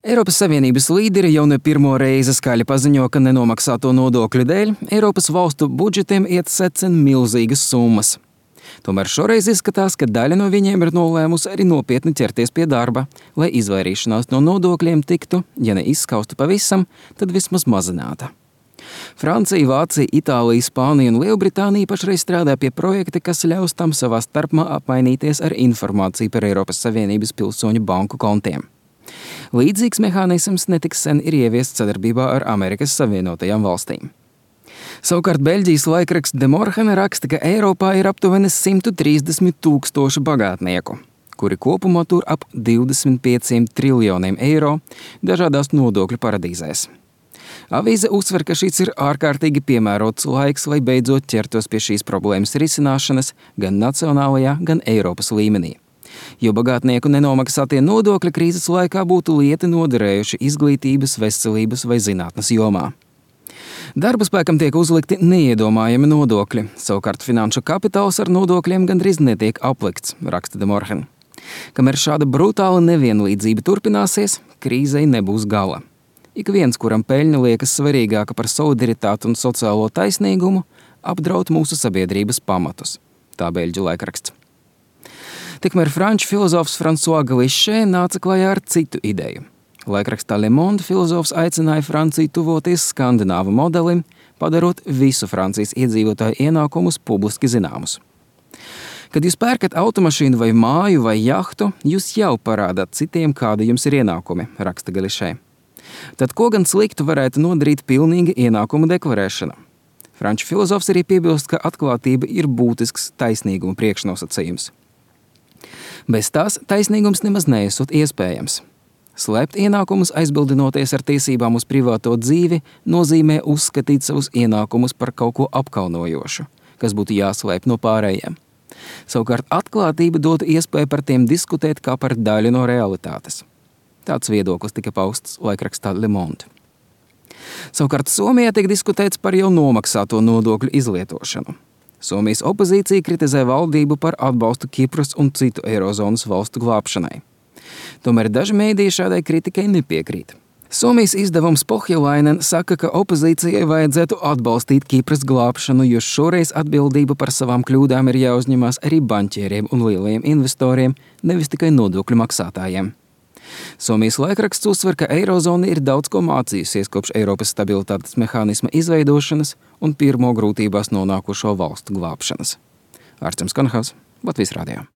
Eiropas Savienības līderi jau ne pirmo reizi skaļi paziņo, ka nenomaksāto nodokļu dēļ Eiropas valstu budžetiem iet secen milzīgas summas. Tomēr šoreiz izskatās, ka daļa no viņiem ir nolēmusi arī nopietni ķerties pie darba, lai izvairīšanās no nodokļiem tiktu, ja ne izskausta pavisam, tad vismaz mazināta. Francija, Vācija, Itālija, Spānija un Lielbritānija pašreiz strādā pie projekta, kas ļaus tam savā starpā apmainīties ar informāciju par Eiropas Savienības pilsoņu banku kontiem. Līdzīgs mehānisms netiks sen ir ieviests sadarbībā ar Amerikas Savienotajām valstīm. Savukārt Beļģijas laikraksts De Morgen raksta, ka Eiropā ir aptuveni 130 000 bagātnieku, kuri kopumā tur ap 25 triljoniem eiro dažādās nodokļu paradīzēs. Avīze uzsver, ka šis ir ārkārtīgi piemērots laiks, lai beidzot ķertos pie šīs problēmas risināšanas gan nacionālajā, gan Eiropas līmenī. Jo bagātnieku nenomaksātie nodokļi krīzes laikā būtu lieti noderējuši izglītības, veselības vai zinātnes jomā. Darba spēkam tiek uzlikti neiedomājami nodokļi, savukārt finanšu kapitāls ar nodokļiem gandrīz netiek aplikts, raksta De Morgen. Kamēr šāda brutāla nevienlīdzība turpināsies, krīzei nebūs gala. Ik viens, kuram peļņa liekas svarīgāka par solidaritāti un sociālo taisnīgumu, apdraud mūsu sabiedrības pamatus. Tā Beļģu laikraksts. Tikmēr franču filozofs François Glišē nāca klajā ar citu ideju. Laikrakstā Le Monde filozofs aicināja Franciju tuvoties skandināvu modelim, padarot visu Francijas iedzīvotāju ienākumus publiski zināmus. Kad jūs pērkat automašīnu vai māju vai jahtu, jūs jau parādāt citiem, kādi jums ir ienākumi, raksta Glišē. Tad ko gan sliktu varētu nodarīt pilnīga ienākuma deklarēšana? Franču filozofs arī piebilst, ka atklātība ir būtisks taisnīguma priekšnosacījums. Bez tās taisnīgums nemaz neesot iespējams. Slēpt ienākumus, aizbildinoties ar tiesībām uz privāto dzīvi, nozīmē uzskatīt savus ienākumus par kaut ko apkaunojošu, kas būtu jāslēp no pārējiem. Savukārt atklātība dotu iespēju par tiem diskutēt kā par daļu no realitātes. Tāds viedoklis tika pausts laikrakstā Le Monde. Savukārt Somijā tiek diskutēts par jau nomaksāto nodokļu izlietošanu. Somijas opozīcija kritizē valdību par atbalstu Kipras un citu eirozonas valstu glābšanai. Tomēr daži mēdīji šādai kritikai nepiekrīt. Somijas izdevums Pohjalainen saka, ka opozīcijai vajadzētu atbalstīt Kipras glābšanu, jo šoreiz atbildība par savām kļūdām ir jāuzņemās arī banķieriem un lielajiem investoriem, nevis tikai nodokļu maksātājiem. Somijas laikraksts uzsver, ka eirozona ir daudz ko mācījusies kopš Eiropas stabilitātes mehānisma izveidošanas un pirmo grūtībās nonākušo valstu glābšanas. Ārsts Konhaus, Latvijas radio.